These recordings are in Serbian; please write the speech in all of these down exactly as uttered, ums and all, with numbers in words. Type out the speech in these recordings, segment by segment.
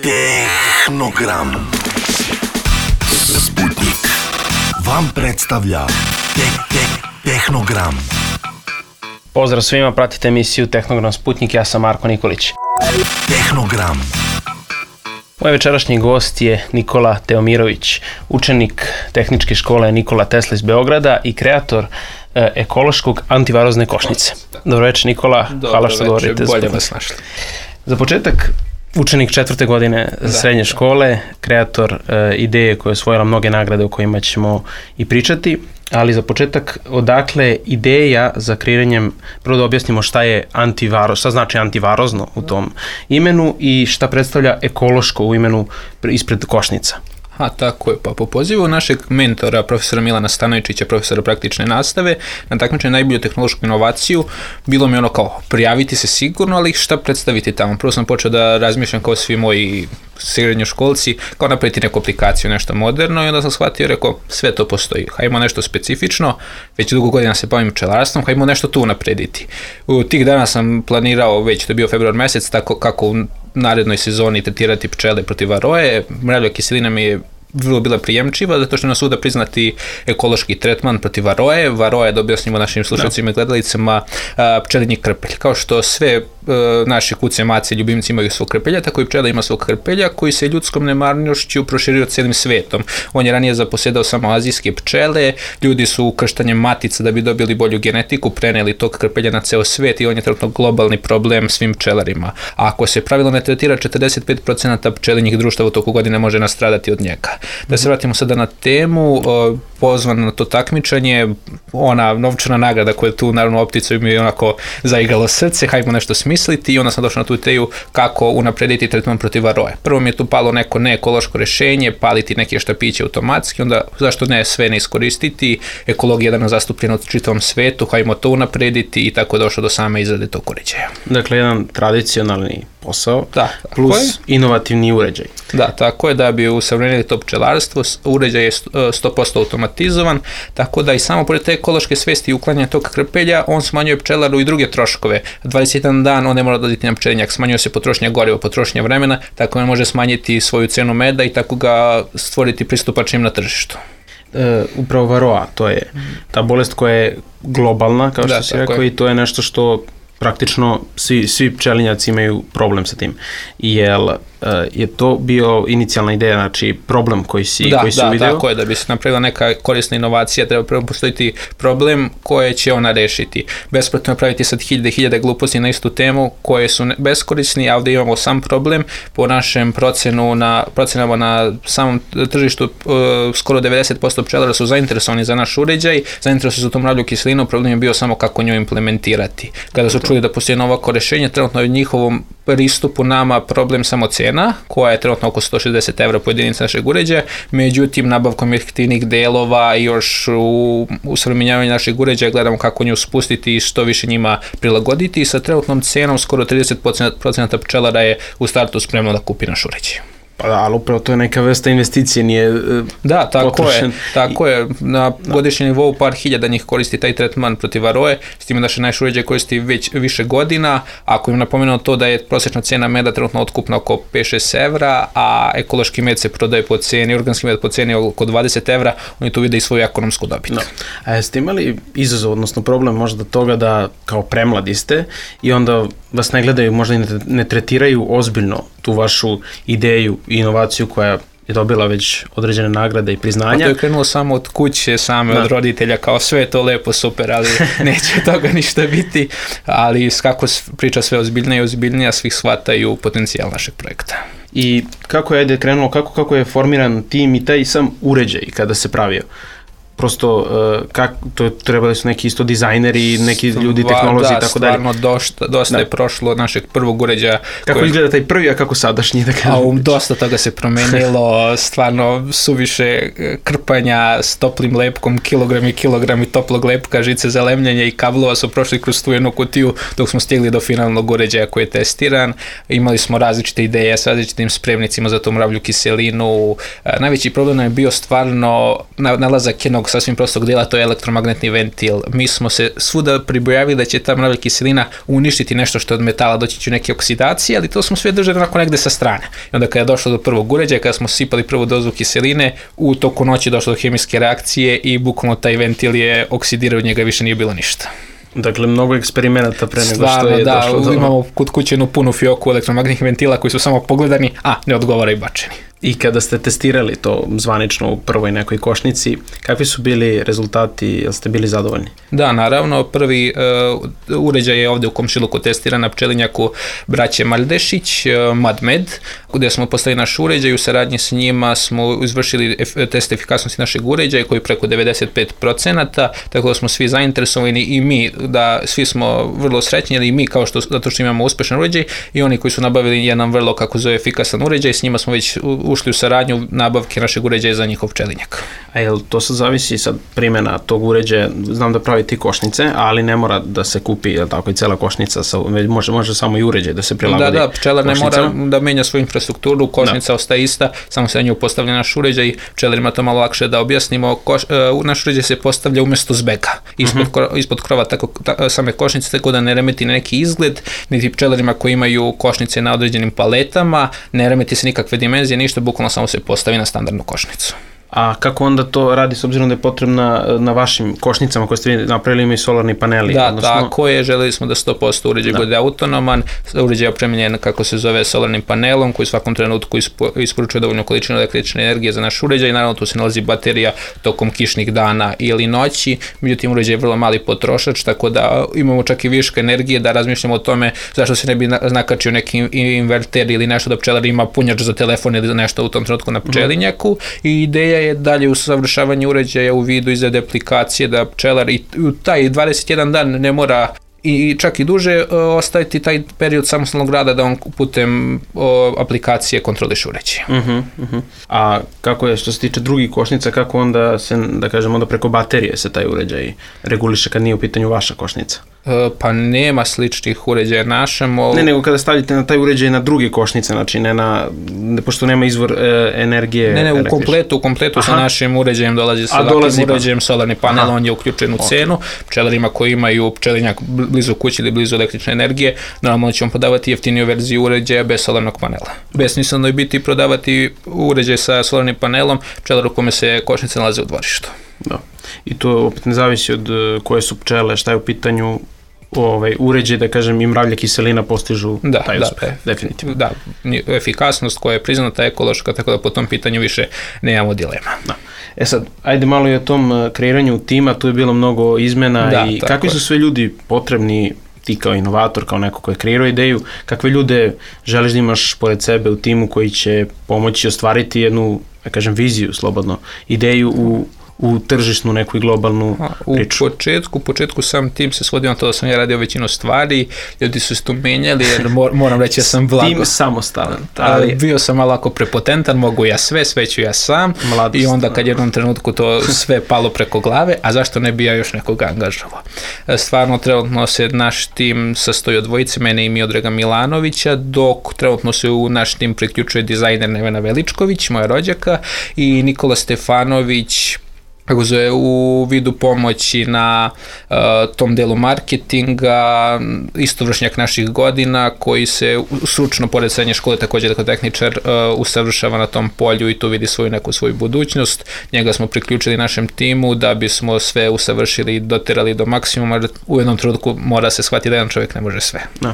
Tehnogram. Sputnik vam predstavlja te- te- Tehnogram. Pozdrav svima, pratite emisiju Tehnogram Sputnik, ja sam Marko Nikolić. Tehnogram. Moj večerašnji gost je Nikola Teomirović, učenik Tehničke škole Nikola Tesla iz Beograda i kreator e, ekološkog antivarozne košnice. Dobro večer, Nikola, Dobro hvala što večer, govorite. bolje vas našli. Za početak, učenik četvrte godine da, srednje škole, kreator e, ideje koja je osvojila mnoge nagrade o kojima ćemo i pričati, ali za početak, odakle ideja za kreiranjem, prvo da objasnimo šta je antivaroz, šta znači antivarozno u tom imenu i šta predstavlja ekološko u imenu ispred košnica. A, tako je. Pa po pozivu našeg mentora, profesora Milana Stanojevića, profesora praktične nastave, na takmičenju najbolju tehnološku inovaciju, bilo mi ono kao prijaviti se sigurno, ali šta predstaviti tamo. Prvo sam počeo da razmišljam kao svi moji srednjoškolci, kao napraviti neku aplikaciju, nešto moderno, i onda sam shvatio i rekao, sve to postoji. Hajmo nešto specifično, već dugo godina se bavim pčelarstvom, hajmo nešto tu naprediti. U tih dana sam planirao, već to je bio februar mesec, tako kako u narednoj sezoni tretirati pčele protiv varoje. Mravlja kiselina mi je vrlo bila prijemčiva, zato što je na svuda priznati ekološki tretman protiv varoje. Varoje, da objasnimo našim slušalcima i gledalicama, pčelinji krpelj. Kao što sve naše kuce, mace, ljubimci imaju svog krpelja, tako i pčela ima svog krpelja koji se ljudskom nemarnošću proširio cijelim svetom. On je ranije zaposedao samo azijske pčele, ljudi su krštanjem matica da bi dobili bolju genetiku preneli tog krpelja na ceo svet i on je trenutno globalni problem svim pčelarima. A ako se pravilno ne tretira, četrdeset pet posto pčelinjih društava u toku godine može nastradati od njega. Da se vratimo sada na temu, pozvan na to takmičenje, ona novčana nagrada koja je tu naravno opticom mi je onako zaigralo srce, hajmo nešto smisliti, i onda sam došao na tu ideju kako unaprediti tretman protiv varoje. Prvo mi je tu palo neko neekološko rešenje, paliti neke štapiće automatski, onda zašto ne sve ne iskoristiti, ekologija je danas zastupljena u čitavom svetu, hajmo to unaprediti, i tako je došao do same izrade tog uređaja. Dakle, jedan tradicionalni posao, da, plus inovativni uređaj. Da, tako je, da bi usavremenili to pčelarstvo, uređaj je sto posto automatizovan, tako da i samo pored te ekološke svesti i uklanjanja tog krpelja, on smanjuje pčelaru i druge troškove. dvadeset jedan dan on ne mora dodati na pčelinjak, smanjuje se potrošnja goriva, potrošnja vremena, tako on može smanjiti svoju cenu meda i tako ga stvoriti pristupačnim na tržištu. E, upravo varoa, to je ta bolest koja je globalna, kao što da, si rekao, je. I to je nešto što praktično svi, svi pčelinjaci imaju problem sa tim. Jel je to bio inicijalna ideja, znači problem koji si, da, koji si da, uvideo? Da, tako je, da bi se napravila neka korisna inovacija, treba prvo postojiti problem koje će ona rešiti. Besplatno napraviti sad hiljade hiljade gluposti na istu temu koje su beskorisni, a ovdje imamo sam problem. Po našem procenu na, procenama na samom tržištu, uh, skoro devedeset posto pčelara su zainteresovani za naš uređaj, zainteresovani za tu mravlju kiselinu, problem je bio samo kako nju implementirati. Kada su čuli da postoji novako rešenje, trenutno je u njihovom pristupu nama problem samo cena, koja je trenutno oko sto šezdeset evra po jedinici našeg uređaja, međutim nabavkom jeftinih delova i još u usavremenjavanju našeg uređaja gledamo kako nju spustiti i što više njima prilagoditi, i sa trenutnom cenom skoro trideset posto pčelara je u startu spremno da kupi naš uređaj. Pa da, ali upravo to je neka vrsta investicije, nije Da, tako potrošen. je, tako je. Na da. godišnjem nivou par hiljada njih koristi taj tretman protiv varoje, s tim da se naš uređaj koristi već više godina. Ako im napomenuo to da je prosječna cena meda trenutno otkupna oko pet do šest evra, a ekološki med se prodaje po ceni, organski med po ceni oko dvadeset evra, oni tu vide i svoju ekonomsku dobit. No. A jeste imali izazov, odnosno problem možda toga da kao premladi ste i onda vas ne gledaju, možda i ne tretiraju ozbiljno tu vašu ideju i inovaciju koja je dobila već određene nagrade i priznanja? Pa to je krenulo samo od kuće, same da. od roditelja, kao sve je to lepo, super, ali neće toga ništa biti, ali kako priča sve ozbiljnije i ozbiljnije, svih shvataju potencijal našeg projekta. I kako je ajde krenulo, kako, kako je formiran tim i taj sam uređaj kada se pravio? Prosto, uh, kak, to trebali su neki isto dizajneri, neki ljudi, tehnolozi i tako dalje. Da, stvarno dosta, dosta da. je prošlo od našeg prvog uređaja. Kako koji... izgleda taj prvi, a kako sadašnji? Da a um, dosta toga se promenilo, stvarno suviše krpanja s toplim lepkom, kilogrami i kilogrami toplog lepka, žice za lemljenje i kablova su prošli kroz tu jednu kutiju dok smo stigli do finalnog uređaja koji je testiran. Imali smo različite ideje s različitim spremnicima za tu mravlju kiselinu. Najveći problem je bio stvarno nalazak jednog jednog sasvim prostog dela, to je elektromagnetni ventil. Mi smo se svuda pribojavili da će ta mrava kiselina uništiti nešto što od metala, doći će neke oksidacije, ali to smo sve držali onako negde sa strane. I onda kada je došlo do prvog uređaja, kada smo sipali prvu dozu kiseline, u toku noći došlo do hemijske reakcije i bukvalno taj ventil je oksidirao, od njega više nije bilo ništa. Dakle, mnogo eksperimenata pre nego Stvarno, što je da, došlo do... imamo kod kuće jednu punu fioku elektromagnetnih ventila koji su samo pogledani, a ne odgovara i bačeni. I kada ste testirali to zvanično u prvoj nekoj košnici, kakvi su bili rezultati, jel ste bili zadovoljni? Da, naravno, prvi uh, uređaj je ovde u komšiluku testiran na pčelinjaku braće Maldešić, uh, MadMed, gde smo postavili naš uređaj, u saradnji s njima smo izvršili ef- test efikasnosti našeg uređaja koji je preko devedeset pet procenata, tako da smo svi zainteresovani i mi, da svi smo vrlo srećni, ali i mi kao što, zato što imamo uspešan uređaj i oni koji su nabavili jedan vrlo, kako zove, efikasan uređaj, s njima smo već ušli u saradnju nabavke našeg uređaja za njihov pčelinjak. A jel to sad zavisi sad primjena tog uređaja, znam da pravite i košnice, ali ne mora da se kupi, jel tako, i cela košnica, sa, može, može samo i uređaj da se prilagodi. Da, da, pčelar ne košnicama. mora da menja svoju infrastrukturu, košnica da. ostaje ista, samo se na nju postavlja naš uređaj, pčelarima to malo lakše da objasnimo, Koš, uh, naš uređaj se postavlja umjesto zbega, ispod, uh-huh. kro, ispod krova tako, ta, same košnice, tako da ne remeti neki izgled, niti pčelarima koji imaju košnice na određenim paletama, ne remeti se nikakve dimenzije, ništa, bukvalno samo se postavi na standardnu košnicu. A kako onda to radi s obzirom da je potrebna na vašim košnicama koje ste vi napravili imaju solarni paneli? Da, odnosno... tako je, želeli smo da sto posto uređaj bude autonoman, uređaj je opremljen, kako se zove, solarnim panelom koji u svakom trenutku ispo, isporučuje dovoljnu količinu električne energije za naš uređaj, naravno tu se nalazi baterija tokom kišnih dana ili noći, međutim uređaj je vrlo mali potrošač, tako da imamo čak i viška energije da razmišljamo o tome zašto se ne bi nakačio neki inverter ili nešto da pčelar ima punjač za telefon ili nešto u tom trenutku na pčelinjaku i ideja je dalje usavršavanje uređaja u vidu izrade aplikacije da pčelar i u taj dvadeset jedan dan ne mora i čak i duže uh, ostaviti taj period samostalnog rada da on putem uh, aplikacije kontroliše uređaje. Uh-huh, uh-huh. A kako je što se tiče drugih košnica, kako onda se, da kažemo, onda preko baterije se taj uređaj reguliše kad nije u pitanju vaša košnica? Uh, pa nema sličnih uređaja našem. O... Ne, nego kada stavite na taj uređaj na druge košnice, znači ne na, ne, pošto nema izvor e, energije. Ne, ne, u električne. kompletu, u kompletu sa našim uređajem dolazi sa dolazi ovakvim uređajem, solarni panel, Aha. on je uključen u okay. cenu. Pčelarima koji imaju pčelinjak blizu kući ili blizu električne energije, normalno ćemo podavati jeftiniju verziju uređaja bez solarnog panela. Besmisleno je biti prodavati uređaj sa solarnim panelom pčelaru kome se košnice nalaze u dvorištu. Da. I to opet ne zavisi od koje su pčele, šta je u pitanju ovaj uređaj, da kažem, i mravlja kiselina postižu da, taj da, uspeh, definitivno. Da, efikasnost koja je priznata ekološka, tako da po tom pitanju više nemamo dilema. Da. E sad, ajde malo i o tom kreiranju tima, tu je bilo mnogo izmena da, i kakvi su sve ljudi potrebni, ti kao inovator, kao neko ko je kreirao ideju, kakve ljude želiš da imaš pored sebe u timu koji će pomoći ostvariti jednu, da kažem, viziju, slobodno, ideju u u tržišnu neku i globalnu priču. U početku, u početku sam tim se svodio na to da sam ja radio većinu stvari, ljudi su se tu menjali, jer mor, moram reći ja sam blago. Tim samostalan. Ali... Bio sam malako prepotentan, mogu ja sve, sve ću ja sam. Mladost, i onda kad jednom trenutku to sve palo preko glave, a zašto ne bi ja još nekoga angažovao? Stvarno, trenutno se naš tim sastoji od dvojice, mene i Miodraga Milanovića, dok trenutno se u naš tim priključuje dizajner Nevena Veličković, moja rođaka, i Nikola Stefanović, kako zove, u vidu pomoći na uh, tom delu marketinga, istovršnjak naših godina koji se stručno pored srednje škole također kao tehničar uh, usavršava na tom polju i tu vidi svoju neku svoju budućnost. Njega smo priključili našem timu da bismo sve usavršili i doterali do maksimuma, jer u jednom trenutku mora se shvatiti da jedan čovjek ne može sve. Da.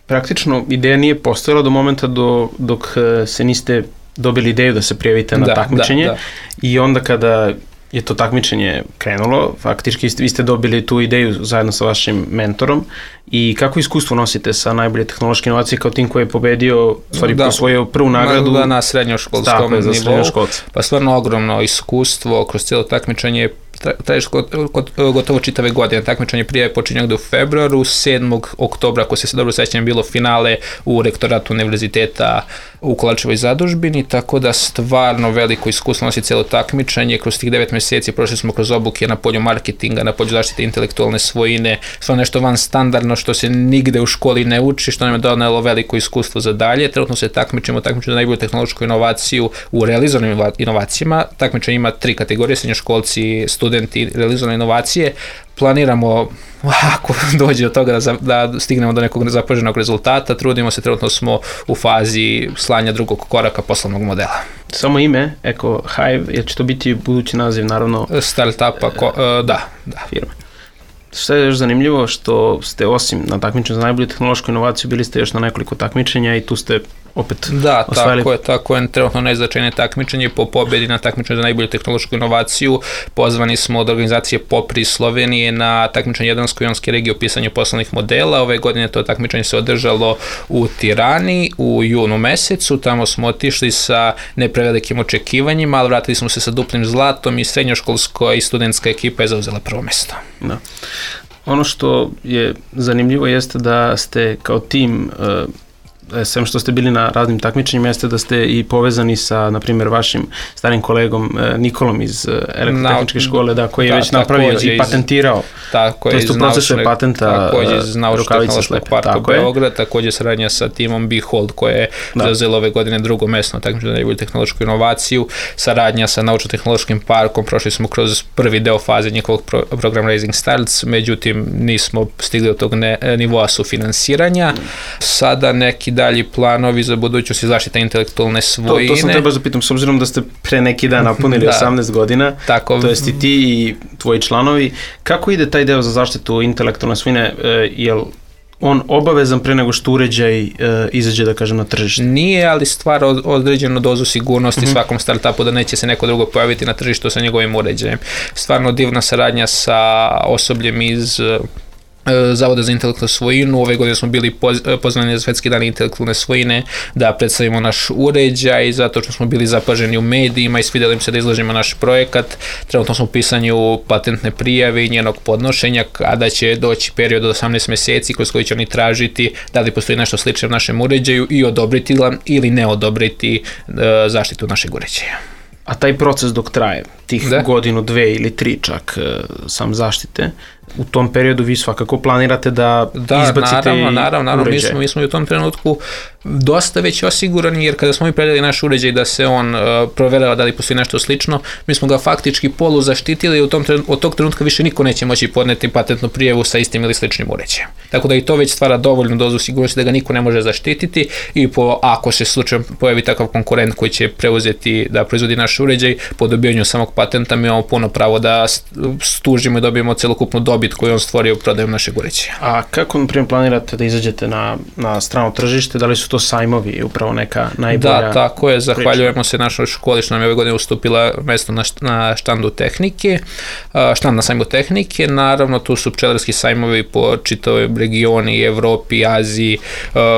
Praktično ideja nije postojala do momenta do, dok se niste dobili ideju da se prijavite na da, takmičenje da, da. I onda kada je to takmičenje krenulo, faktički vi ste dobili tu ideju zajedno sa vašim mentorom i kako iskustvo nosite sa najbolje tehnološke inovacije kao tim koji je pobedio, stvari da, prosvojio prvu nagradu da, na srednjoškolskom nivou, srednjoškolce. Pa stvarno ogromno iskustvo kroz cijelo takmičenje, traješ gotovo čitave godine. Takmičenje prije počinje u februaru, sedmog oktobra, ako se dobro sećam, bilo finale u rektoratu univerziteta u Kolarčevoj zadužbini, tako da stvarno veliko iskustvo nosi cijelo takmičenje. Kroz tih devet mjeseci prošli smo kroz obuke na polju marketinga, na polju zaštite intelektualne svojine, stvarno nešto van standardno što se nigde u školi ne uči, što nam je donelo veliko iskustvo za dalje. Trenutno se takmičimo, takmičimo za najbolju tehnološku inovaciju u realizovanim inovacijama. Takmičenje ima tri kategorije, srednjoškolci, studenti studenti realizovane inovacije, planiramo ako dođe od toga da, da stignemo do nekog zapaženog rezultata, trudimo se, trenutno smo u fazi slanja drugog koraka poslovnog modela. Samo ime, Eko Hive, jer će to biti budući naziv, naravno, startupa, ko, uh, da, da. firme. Što je još zanimljivo, što ste osim na takmičenju za najbolju tehnološku inovaciju, bili ste još na nekoliko takmičenja i tu ste opet da, osvajali. tako je, tako je, trenutno najznačajnije takmičenje. Po pobjedi na takmičenju za najbolju tehnološku inovaciju pozvani smo od organizacije Popri Slovenije na takmičenje Jadransko-jonske regije o pisanju poslovnih modela. Ove godine to takmičenje se održalo u Tirani u junu mesecu, tamo smo otišli sa neprevelikim očekivanjima, ali vratili smo se sa duplim zlatom i srednjoškolska i studentska ekipa je zauzela prvo mesto. Da. Ono što je zanimljivo jeste da ste kao tim, sem što ste bili na raznim takmičenjima, jeste da ste i povezani sa, na primjer, vašim starim kolegom Nikolom iz elektrotehničke škole, da, koji je da, već napravio i patentirao. Tako je, iz naučnog, također iz naučno-tehnološkog parka Beograd, također saradnja sa timom Behold, koje je zauzelo ove godine drugo mesto na takmičenju za najbolju tehnološku inovaciju, saradnja sa naučno-tehnološkim parkom, prošli smo kroz prvi deo faze njihovog pro, program Raising Starts, međutim nismo stigli od tog ne, nivoa sufinansiranja. Sada neki dalji planovi za budućnost i zaštita intelektualne svojine. To, to sam treba zapitam, s obzirom da ste pre neki dan napunili da. osamnaest godina, tako, to jest i ti i tvoji članovi, kako ide taj deo za zaštitu intelektualne svojine, e, jel on obavezan pre nego što uređaj e, izađe, da kažem, na tržište? Nije, ali stvara određenu dozu sigurnosti mm-hmm. svakom startupu da neće se neko drugo pojaviti na tržištu sa njegovim uređajem. Stvarno divna saradnja sa osobljem iz Zavoda za intelektualnu svojinu. Ove godine smo bili pozvani na Svetski dan intelektualne svojine da predstavimo naš uređaj, zato što smo bili zapaženi u medijima i svidjeli im se da izložimo naš projekat. Trenutno smo u pisanju patentne prijave i njenog podnošenja, a da će doći period od osamnaest mjeseci kroz koji će oni tražiti da li postoji nešto slično u našem uređaju i odobriti ili ne odobriti zaštitu našeg uređaja. A taj proces dok traje, tih da? godinu, dve ili tri čak sam zaštite, u tom periodu vi svakako planirate da, da izbacite naravno, naravno, naravno. Mi smo, mi smo u tom trenutku dosta već osigurani, jer kada smo mi predali naš uređaj da se on uh, proverava da li postoji nešto slično, mi smo ga faktički polu zaštitili i u tom trenutku, od tog trenutka više niko neće moći podneti patentnu prijavu sa istim ili sličnim uređajem. Tako da i to već stvara dovoljnu dozu sigurnosti da ga niko ne može zaštititi i po, ako se slučajno pojavi takav konkurent koji će preuzeti da proizvodi naš uređaj, po dobijanju samog patenta mi imamo puno pravo da stužimo i dobijemo celokupnu dobit koju on stvorio prodajom našeg uređaja. A kako, na primjer, planirate da izađete na, na strano tržište? Da li su to sajmovi, upravo neka najbolja? Da, tako je. Zahvaljujemo priča. se našoj školi što nam je ove godine ustupila mesto na, na štandu tehnike, štand na sajmu tehnike. Naravno, tu su pčelarski sajmovi po čitavoj regioni, Evropi, Aziji,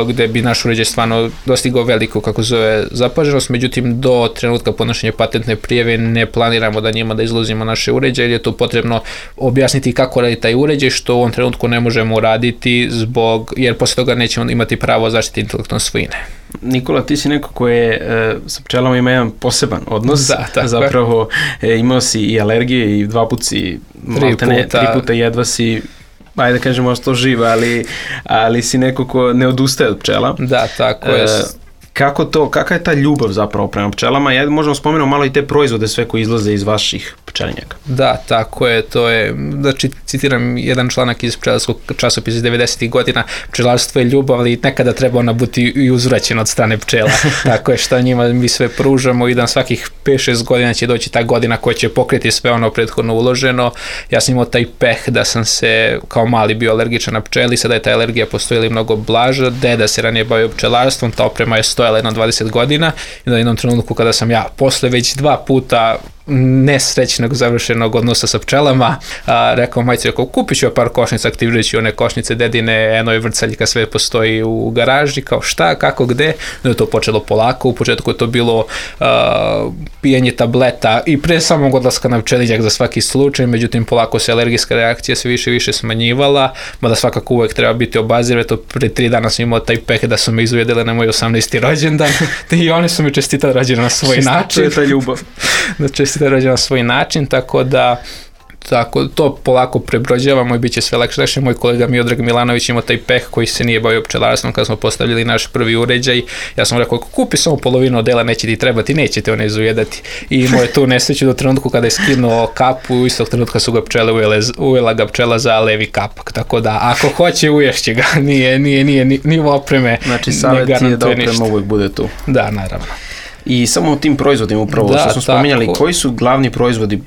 gde bi naš uređaj stvarno dostigao veliku, kako zove, zapaženost. Međutim, do trenutka podnošenja patentne prijave ne planiramo da njima da izlozimo naše uređaje, jer je tu potrebno objasniti kako radi taj uređaj, što u ovom trenutku ne možemo uraditi zbog, jer posle toga nećemo imati pravo zaštiti intelektualne svojine. Nikola, ti si neko koji je e, sa pčelama ima jedan poseban odnos, da, zapravo e, imao si i alergije i dva put si, tri puta, tri puta jedva si, ajde da kažemo što živa, ali, ali si neko ko ne odustaje od pčela. Da, tako je. E, kako to, kakva je ta ljubav zapravo prema pčelama? Ja možemo spomenuti malo i te proizvode sve koji izlaze iz vaših pčelinjaka. Da, tako je, to je, znači citiram jedan članak iz pčelarskog časopisa iz devedesetih godina, pčelarstvo je ljubav, ali nekada treba ona biti i uzvraćena od strane pčela. Tako je, što njima mi sve pružamo i da svakih pet šest godina će doći ta godina koja će pokriti sve ono prethodno uloženo. Ja sam imao taj peh da sam se kao mali bio alergičan na pčeli, sada je ta alergija postojala mnogo blaža, deda se ranije bavio pčelarstvom, ta oprema je stojala jedno dvadeset godina i na jednom trenutku kada sam ja posle već dva puta nesrećnog završenog odnosa sa pčelama, a, rekao majci, rekao, kupit ću par košnica, aktivirajući one košnice dedine, eno je vrcaljka, sve postoji u garaži, kao šta, kako, gde, no je to počelo polako, u početku je to bilo a, pijenje tableta i pre samog odlaska na pčelinjak za svaki slučaj, međutim polako se alergijska reakcija sve više i više smanjivala, mada svakako uvek treba biti obazir, to pre tri dana sam imao taj peh da su me izvedele na moj osamnaesti rođendan i oni su mi čestitali rođendan na svoj način. To je ta ljubav. Da čestitali rođendan na svoj način, tako da tako, to polako prebrođavamo i bit će sve lakše. Lakše, moj kolega Miodrag Milanović imao taj peh koji se nije bavio pčelarstvom kad smo postavili naš prvi uređaj. Ja sam rekao, kupi samo polovinu odela, neće ti trebati, nećete one izujedati. I imao je tu nesreću do trenutku kada je skinuo kapu, u istog trenutka su ga pčele ujele, ujela ga pčela za levi kapak. Tako da, ako hoće, uješće ga, nije, nije, nije, nije, nije opreme. Znači, savjet je da oprema uvijek bude tu. Da, naravno. I samo o tim proizvodima upravo, da, što smo spominjali, koji su glavni proizvodi, e,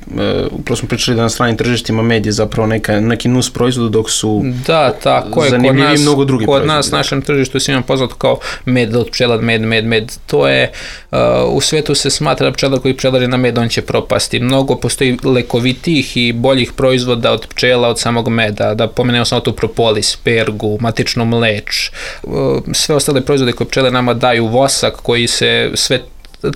upravo smo pričali da na stranim tržištima med je zapravo neka, neki nus proizvoda, dok su da, tako je, zanimljivi kod nas, mnogo drugi kod proizvodi. Nas, našem tržištu, svima poznato kao med od pčela, med, med, med, to je, uh, u svetu se smatra da pčelar koji pčelari na med, on će propasti. Mnogo postoji lekovitih i boljih proizvoda od pčela, od samog meda, da pomenemo samo tu propolis, pergu, matičnu mleč, uh, sve ostale proizvode koje pčele nama daju, vosak koji se sve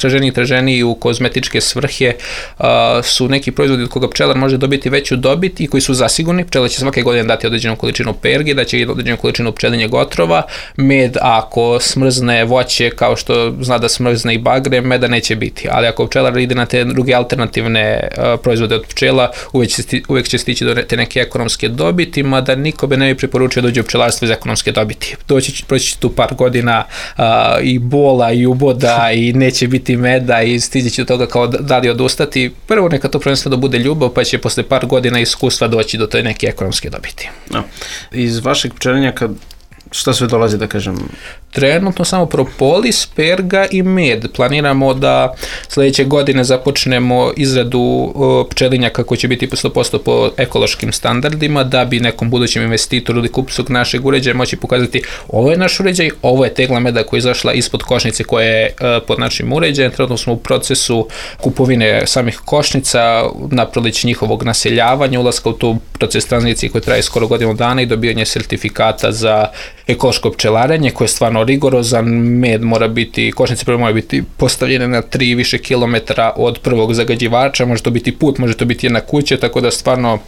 traženiji i traženiji u kozmetičke svrhe, uh, su neki proizvodi od koga pčelar može dobiti veću dobit i koji su zasigurni. Pčela će svake godine dati određenu količinu pergi, da će određenu količinu pčelinjeg otrova. Med, ako smrzne voće kao što zna da smrzne i bagre, meda neće biti. Ali ako pčelar ide na te druge alternativne uh, proizvode od pčela, uvek će, sti, uvek će stići do te neke ekonomske dobiti, mada niko bi ne bi preporučio da dođe u pčelarstvo iz ekonomske dobiti. Doći, proći će tu par godina uh, i bola i uboda i neće biti biti meda i stići će do toga kao da li odustati. Prvo neka to prvenstveno bude ljubav, pa će posle par godina iskustva doći do toj neke ekonomske dobiti. No. Iz vašeg pčelinjaka šta sve dolazi, da kažem? Trenutno samo propolis, perga i med. Planiramo da sledeće godine započnemo izradu uh, pčelinjaka koji će biti sto posto po ekološkim standardima, da bi nekom budućem investitoru ili kupcu našeg uređaja moći pokazati ovo je naš uređaj, ovo je tegla meda koja je izašla ispod košnice koja je uh, pod našim uređajem. Trenutno smo u procesu kupovine samih košnica, na proleće njihovog naseljavanja, ulaska u tu proces tranzicije koji traje skoro godinu dana i dobijanje sertifikata za ekološko pčelarenje koje je stvarno rigorozan. Med mora biti, košnice prvo mora biti postavljene na tri više kilometara od prvog zagađivača, može to biti put, može to biti jedna kuća, tako da stvarno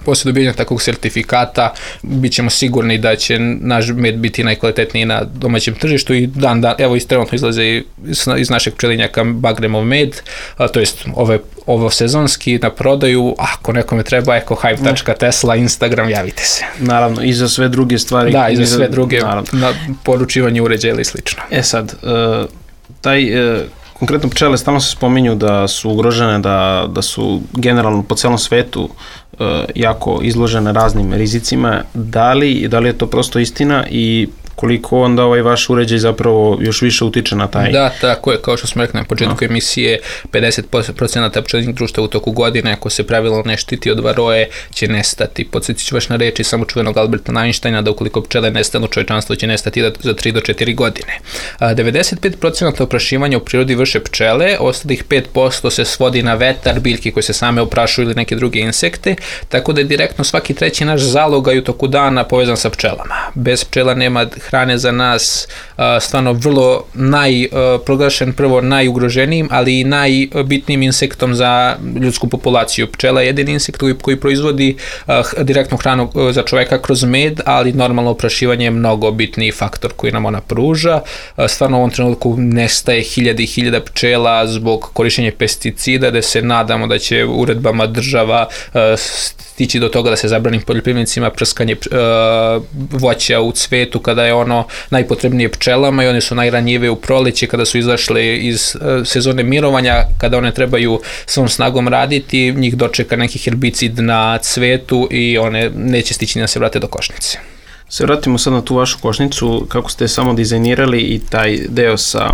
poslije dobijanja takvog sertifikata bit ćemo sigurni da će naš med biti najkvalitetniji na domaćem tržištu i dan dan, evo iz trenutno izlaze iz, iz našeg pčelinjaka bagremov med, a, to jest ove, ovo sezonski na prodaju, ako nekome treba eko hype tačka tesla, Instagram, javite se. Naravno, i za sve druge stvari. Da, i za sve druge, naravno, na poručivanje uređaja ili slično. E sad, uh, taj... Uh, konkretno pčele stalno se spominju da su ugrožene, da, da su generalno po celom svetu uh, jako izložene raznim rizicima. Da li, da li je to prosto istina i koliko onda ovaj vaš uređaj zapravo još više utiče na taj? Da, tako je, kao što smo rekli na početku no. emisije, pedeset posto pčelinjih društva u toku godine, ako se pravilno ne štiti od varoje, će nestati. Podsjetit ću vas na reči samo čuvenog Alberta Einsteina da ukoliko pčele nestanu, čovječanstvo će nestati za tri do četiri godine. devedeset pet posto oprašivanja u prirodi vrše pčele, ostalih pet posto se svodi na vetar, biljke koje se same oprašuju ili neke druge insekte, tako da je direktno svaki treći naš zalogaj u toku dana povezan sa pčelama. Bez pčela nema hrane za nas, stvarno vrlo naj, proglašen prvo najugroženijim, ali i najbitnijim insektom za ljudsku populaciju. Pčela je jedini insekt koji, koji proizvodi direktnu hranu za čoveka kroz med, ali normalno oprašivanje je mnogo bitniji faktor koji nam ona pruža. Stvarno u ovom trenutku nestaje hiljade i hiljada pčela zbog korištenja pesticida, da se nadamo da će uredbama država stići do toga da se zabrani poljoprivrednicima prskanje uh, voća u cvetu kada je ono najpotrebnije pčelama i one su najranjivije u proleće kada su izašle iz uh, sezone mirovanja, kada one trebaju svom snagom raditi, njih dočeka neki herbicid na cvetu i one neće stići da se vrate do košnice. Se vratimo sad na tu vašu košnicu, kako ste samo dizajnirali i taj deo sa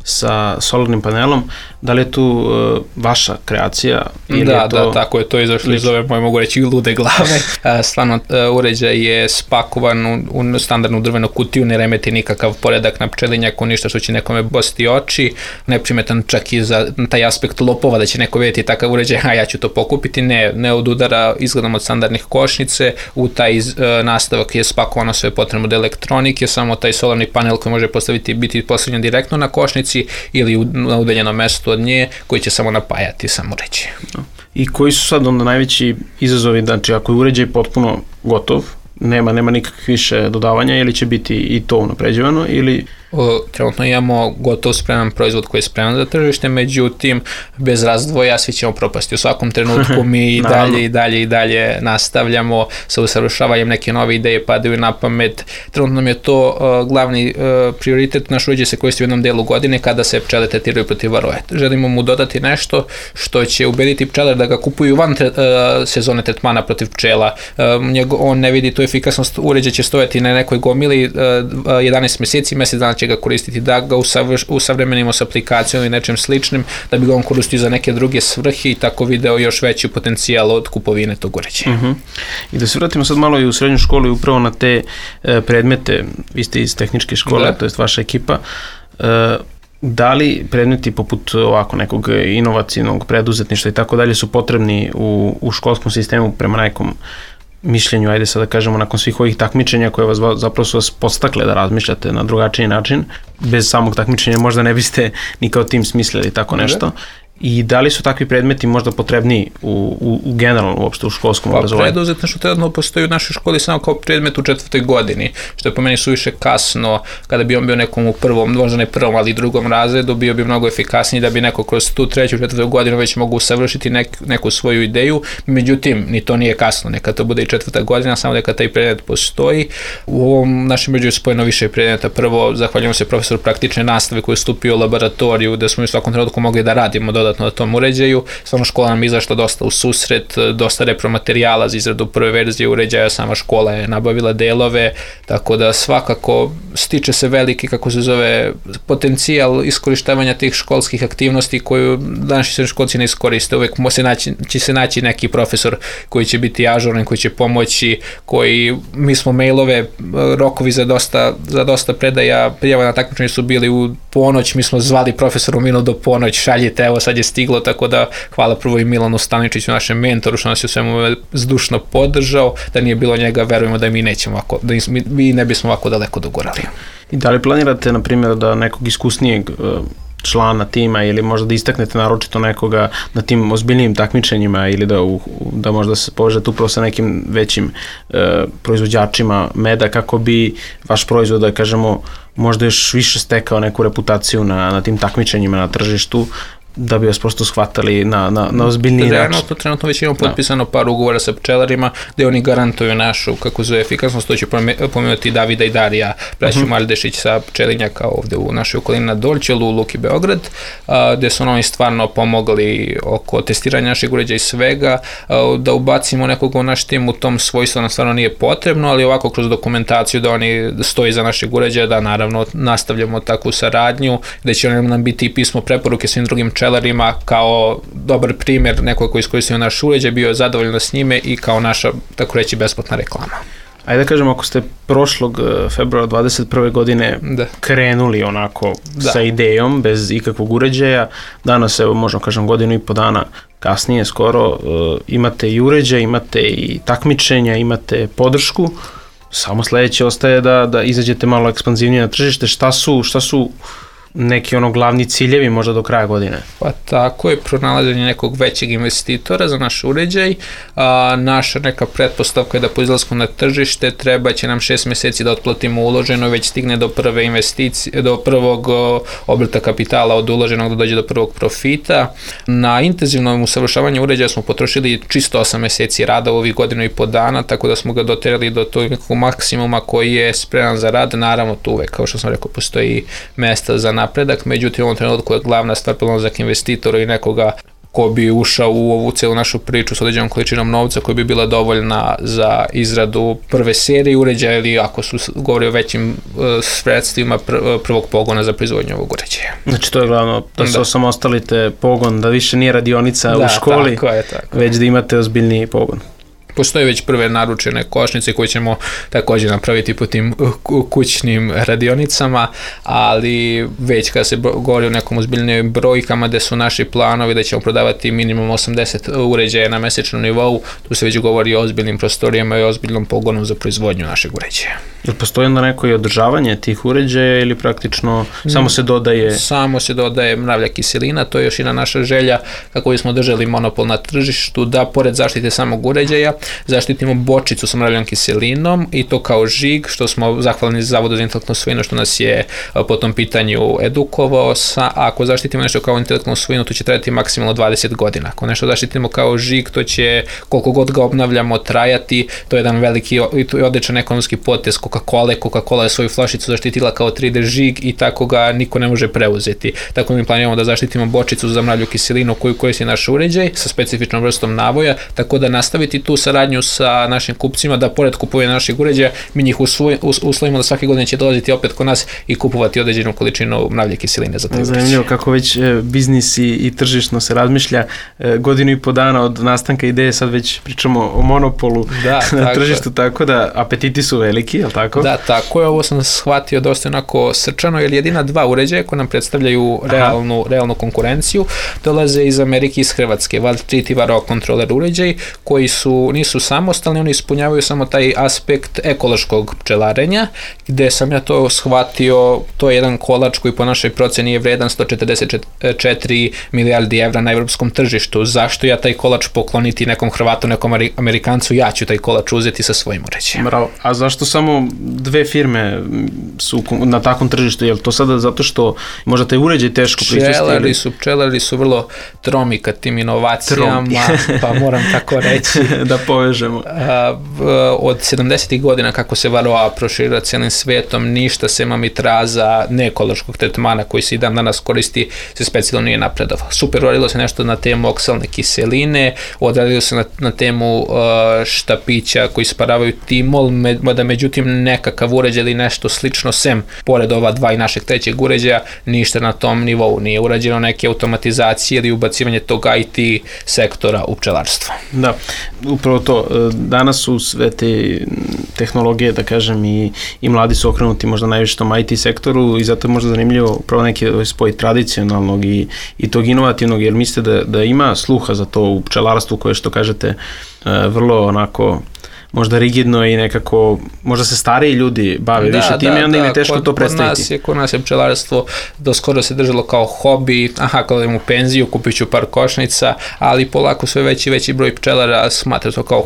sa solarnim panelom, da li je tu uh, vaša kreacija? Ili da, je to... da, tako je to izašlo iz ove moje, mogu reći, lude glave. Stvarno, uh, uređaj je spakovan u, u standardnu drvenu kutiju, ne remeti nikakav poredak na pčelinjaku, ništa što će nekome bosti oči, neprimetan čak i za taj aspekt lopova, da će neko vidjeti takav uređaj, a ja ću to pokupiti, ne, ne od udara, izgledam od standardnih košnice, u taj uh, nastavak je spakovano sve potrebno od elektronike, samo taj solarni panel koji može postaviti, biti postavljen direktno na košnici ili na udaljenom mestu od nje, koji će samo napajati sam uređaj. I koji su sad onda najveći izazovi, znači ako je uređaj potpuno gotov, nema, nema nikakvih više dodavanja, ili će biti i to unapređivano, ili O, trenutno imamo gotov spreman proizvod koji je spreman za tržište, međutim, bez razdvoja svi ćemo propasti. U svakom trenutku mi i dalje i dalje i dalje nastavljamo sa usavršavanjem, neke nove ideje padaju na pamet. Trenutno nam je to uh, glavni uh, prioritet. Naš uređaj se koristi u jednom delu godine kada se pčele tretiraju protiv varoje. Želimo mu dodati nešto što će ubediti pčelare da ga kupuju van tre, uh, sezone tretmana protiv pčela. Uh, njego, on ne vidi tu efikasnost, uređaj će stojati na nekoj gomili uh, jedanaest mjeseci, mjesec dana će ga koristiti, da ga usavremenimo s aplikacijom i nečem sličnim, da bi ga on koristio za neke druge svrhe i tako video još veći potencijal od kupovine tog uređaja. Uh-huh. I da se vratimo sad malo i u srednju školu i upravo na te e, predmete, vi ste iz tehničke škole, to jest vaša ekipa, e, da li predmeti poput ovako nekog inovacijnog preduzetništva i tako dalje su potrebni u, u školskom sistemu prema nekom mišljenju, ajde sad da kažemo, nakon svih ovih takmičenja koje vas zapravo su vas podstakle da razmišljate na drugačiji način, bez samog takmičenja možda ne biste ni kao tim smislili tako nešto. I da li su takvi predmeti možda potrebni u, u, u generalno uopšte u školskom pa, obrazovanju? Preduzetništvo trenutno postoji u našoj školi samo kao predmet u četvrtoj godini, što je po meni suviše kasno. Kada bi on bio nekom u prvom, možda ne prvom, ali i drugom razredu, bio bi mnogo efikasniji da bi neko kroz tu treću, četvrtu godinu već mogu usavršiti nek, neku svoju ideju. Međutim, ni to nije kasno, neka to bude i četvrta godina, samo neka taj predmet postoji. U ovom našem uređaju spojeno više predmeta. Prvo, zahvaljujemo se profesoru praktične nastave koji je stupio u laboratoriju, da smo u svakom trenutku mogli da radimo dodatno na tom uređaju. Stvarno škola nam izašla dosta u susret, dosta repromaterijala za izradu prve verzije uređaja, sama škola je nabavila delove, tako da svakako stiče se veliki, kako se zove, potencijal iskorištavanja tih školskih aktivnosti koju današnji srednjoškolci ne iskoriste. Uvek se naći, će se naći neki profesor koji će biti ažuran, koji će pomoći, koji, mi smo mailove, rokovi za dosta, za dosta predaja prijava na takmičenje su bili u ponoć, mi smo zvali profesoru minut do ponoć, šaljite, evo sad je stiglo, tako da hvala prvo i Milanu Staničiću, našem mentoru, što nas je u svemu zdušno podržao. Da nije bilo njega, verujemo da mi nećemo ovako, da mi ne bismo ovako daleko dogurali. I da li planirate, na primjer, da nekog iskusnijeg člana tima ili možda da istaknete naročito nekoga na tim ozbiljnijim takmičenjima ili da, u, da možda se povežete upravo sa nekim većim e, proizvođačima meda kako bi vaš proizvod, da kažemo, možda još više stekao neku reputaciju na, na tim takmičenjima na tržištu, da bi vas prosto shvatali na, na, na ozbiljniji način. Trenutno, trenutno već imamo potpisano no. par ugovora sa pčelarima gde oni garantuju našu, kako zove, efikasnost. To će pomenuti Davida i Darija, braću uh-huh. Maldešić sa pčelinjaka ovde u našoj okolini na Dolčelu, u Luki Beograd, a, gde su oni stvarno pomogli oko testiranja našeg uređaja i svega. A, da ubacimo nekog u naš tim u tom svojstvu nam stvarno nije potrebno, ali ovako kroz dokumentaciju da oni stoji za našeg uređaja, da naravno nastavljamo takvu saradnju, da će nam biti i pismo preporuke svim drugim pčelarima kao dobar primjer nekog koji iskoristio naš uređaj, bio je zadovoljno s njime i kao naša, tako reći, besplatna reklama. Ajde da kažemo, ako ste prošlog februara dvadeset prve godine da. krenuli onako da. sa idejom, bez ikakvog uređaja, danas, evo, možemo kažem godinu i po dana kasnije skoro, uh, imate i uređaj, imate i takmičenja, imate podršku, samo sledeće ostaje da, da izađete malo ekspanzivnije na tržište. Šta su, šta su neki ono glavni ciljevi možda do kraja godine? Pa tako je, pronalaženje nekog većeg investitora za naš uređaj. A, naša neka pretpostavka je da po izlasku na tržište treba će nam šest mjeseci da otplatimo uloženo, već stigne do prve investicije, do prvog o, obrta kapitala od uloženog da dođe do prvog profita. Na intenzivnom usavršavanju uređaja smo potrošili čisto osam mjeseci rada u ovih godinu i po dana, tako da smo ga doterali do tog nekog maksimuma koji je spreman za rad. Naravno, tu uvek, kao što sam rekao, postoji mesta za napredak, međutim u ovom trenutku je glavna stvar pronalazak investitora i nekoga ko bi ušao u ovu celu našu priču s određenom količinom novca koja bi bila dovoljna za izradu prve serije uređaja ili ako su govori o većim uh, sredstvima pr- prvog pogona za proizvodnju ovog uređaja. Znači to je glavno, da se osamostalite pogon, da više nije radionica da, u školi, tako je, tako. već da imate ozbiljniji pogon. Postoje već prve naručene košnice koje ćemo također napraviti po tim kućnim radionicama, ali već kada se govori o nekom ozbiljnim brojkama gde su naši planovi da ćemo prodavati minimum osamdeset uređaja na mesečnom nivou, tu se već govori o ozbiljnim prostorijama i ozbiljnom pogonu za proizvodnju našeg uređaja. Jel postoji onda neko i održavanje tih uređaja ili praktično samo se dodaje? Samo se dodaje mravlja kiselina, to je još jedna naša želja kako bismo držali monopol na tržištu, da pored zaštite samog uređaja zaštitimo bočicu sa mravljom kiselinom i to kao žig, što smo zahvalni Zavodu za intelektualnu svojinu što nas je po tom pitanju edukovao. Sa, a ako zaštitimo nešto kao intelektualnu svojinu, to će trajati maksimalno dvadeset godina. Ako nešto zaštitimo kao žig, to će koliko god ga obnavljamo trajati. To je jedan veliki i odličan ekonomski potez Coca-Cola. Coca-Cola je svoju flašicu zaštitila kao tri D žig i tako ga niko ne može preuzeti. Tako mi planiramo da zaštitimo bočicu za mravlju kiselinu koju koristi naš uređaj sa specifičnom vrstom navoja, tako da nastaviti tu saradnju sa našim kupcima, da pored kupovanja naših uređaja mi njih uslovimo da svake godine će dolaziti opet kod nas i kupovati određenu količinu mravlje kiseline za taj uređaj. Zanimljivo kako već biznis i, i tržišno se razmišlja. Godinu i po dana od nastanka ideje sad već pričamo o monopolu da, na tako tržištu, tako da apetiti su veliki, je li tako? Da, tako je. Ovo sam shvatio dosta onako srčano, jer jedina dva uređaja koje nam predstavljaju realnu, realnu konkurenciju dolaze iz Amerike i iz Hrvatske. Valtritiva Raw Controller uređaj koji su, nisu samostalni, oni ispunjavaju samo taj aspekt ekološkog pčelarenja, gde sam ja to shvatio, to je jedan kolač koji po našoj proceni je vredan sto četrdeset četiri milijardi evra na evropskom tržištu. Zašto ja taj kolač pokloniti nekom Hrvatu, nekom Amerikancu, ja ću taj kolač uzeti sa svojim uređajem. Bravo. A zašto samo dve firme su na takvom tržištu? Je li to sada zato što možda taj uređaj teško proizvesti? Pčelari su, pčelari su vrlo tromi ka tim inovacijama, pa moram tako reći. Da povežemo. Od sedamdesetih godina kako se Varroa proširila cijelim svetom, ništa se mamitraza neekološkog tretmana koji se i dan danas koristi se specijalno nije napredovalo. Super uradilo se nešto na temu oksalne kiseline, odradilo se na, na temu uh, štapića koji sparavaju timol, mada međutim nekakav uređaj ili nešto slično sem, pored ova dva i našeg trećeg uređaja, ništa na tom nivou nije urađeno, neke automatizacije ili ubacivanje tog I T sektora u pčelarstvo. Da, upravo to. Danas su sve te tehnologije, da kažem, i, i mladi su okrenuti možda najviše tom I T sektoru i zato je možda zanimljivo upravo neki spoj tradicionalnog i, i tog inovativnog, jer mislite da, da ima sluha za to u pčelarstvu koje, što kažete, vrlo onako možda rigidno i nekako, možda se stariji ljudi bave da, više time da, i onda im je teško kod, to predstaviti. Kod nas, je, kod nas je pčelarstvo do skoro se držalo kao hobi, aha, kada idem u penziju, kupit ću par košnica, ali polako sve veći veći broj pčelara smatra to kao,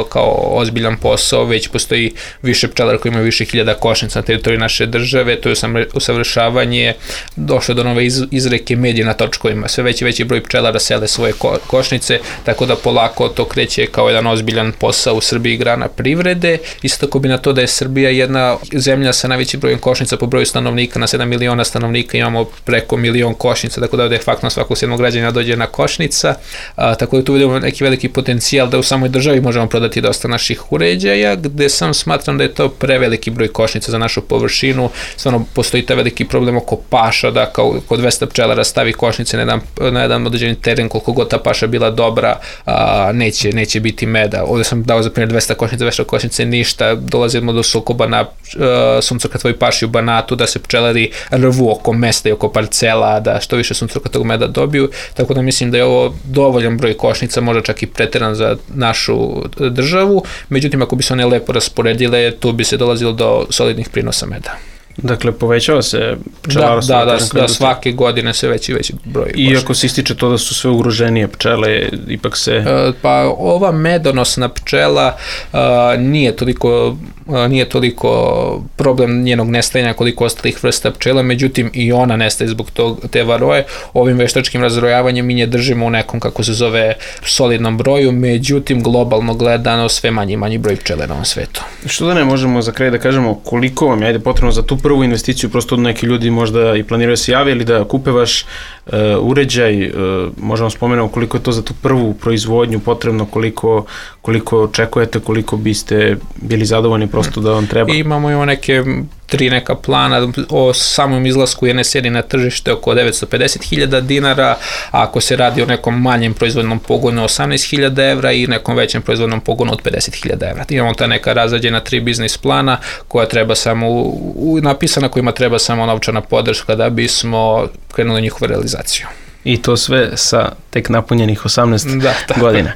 kao ozbiljan posao, već postoji više pčelara koji imaju više hiljada košnica na teritoriji naše države, to je usavršavanje, došlo do nove iz, izreke medije na točkovima, sve veći veći broj pčelara sele svoje ko, košnice, tako da polako to kreće kao jedan ozbiljan posao u Srbiji, grana privrede. Isto tako bi na to da je Srbija jedna zemlja sa najvećim brojem košnica po broju stanovnika, na sedam miliona stanovnika imamo preko milion košnica, tako da de facto na svakog sedmog građana dođe jedna košnica, a, tako da tu vidimo neki veliki potencijal da u samoj državi možemo prodati dosta naših uređaja, gde sam smatram da je to preveliki broj košnica za našu površinu, stvarno postoji ta veliki problem oko paša, da kao kod dvesta pčelara stavi košnice na jedan, na jedan određeni teren, koliko god ta paša bila dobra, a, neće, neće biti meda. Ovdje sam dao za primjer dvesta košnice, dvesta košnice ništa, dolazimo do sukoba na uh, suncokatovoj paši u Banatu, da se pčelari rvu oko mesta i oko parcela, da što više suncokatovog meda dobiju, tako da mislim da je ovo dovoljan broj košnica, možda čak i preteran za našu državu, međutim ako bi se one lepo rasporedile, tu bi se dolazilo do solidnih prinosa meda. Dakle, povećava se pčelarstvo. Da, da, da, da, svake godine sve veći veći broj. Iako se ističe to da su sve ugroženije pčele, ipak se... E, pa ova medonosna pčela a, nije toliko a, nije toliko problem njenog nestajanja koliko ostalih vrsta pčela, međutim i ona nestaje zbog tog, te varoje. Ovim veštačkim razrojavanjem mi nje držimo u nekom, kako se zove, solidnom broju, međutim globalno gledano sve manji i manji broj pčele na ovom svetu. Što da ne možemo za kraj da kažemo koliko vam je ajde potrebno za tu prvu investiciju, prosto neki ljudi možda i planiraju se jave ili da kupe vaš uh, uređaj, uh, možemo spomenuti koliko je to za tu prvu proizvodnju potrebno, koliko, koliko očekujete, koliko biste bili zadovoljni prosto da vam treba. I imamo i neke tri neka plana, o samom izlasku jedne serije na tržište oko devetsto pedeset hiljada dinara, a ako se radi o nekom manjem proizvodnom pogonu osamnaest hiljada evra i nekom većem proizvodnom pogonu od pedeset hiljada evra. Imamo ta neka razrađena tri biznis plana koja treba samo, u, napisana kojima treba samo novčana podrška da bismo krenuli njihovu realizaciju. I to sve sa tek napunjenih osamnaest da, godina.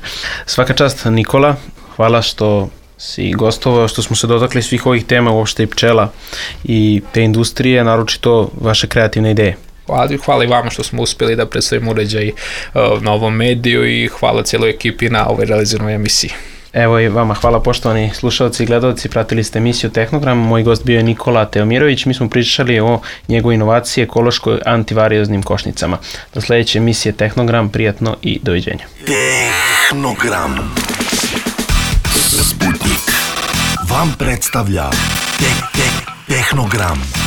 Svaka čast, Nikola, hvala što si gostovao, što smo se dotakli svih ovih tema, uopšte i pčela i te industrije, naročito vaše kreativne ideje. Hvala, hvala i vama što smo uspjeli da predstavimo uređaj uh, na ovom mediju i hvala cijeloj ekipi na ovoj realizirnoj emisiji. Evo i vama hvala poštovani slušalci i gledalci, pratili ste emisiju Tehnogram, moj gost bio je Nikola Teomirović, mi smo pričali o njegovoj inovaciji ekološkoj antivarioznim košnicama. Do sledeće emisije Tehnogram, prijatno i doviđenja. Tehnogram. Sputnik vam predstavlja te, te, Tehnogram.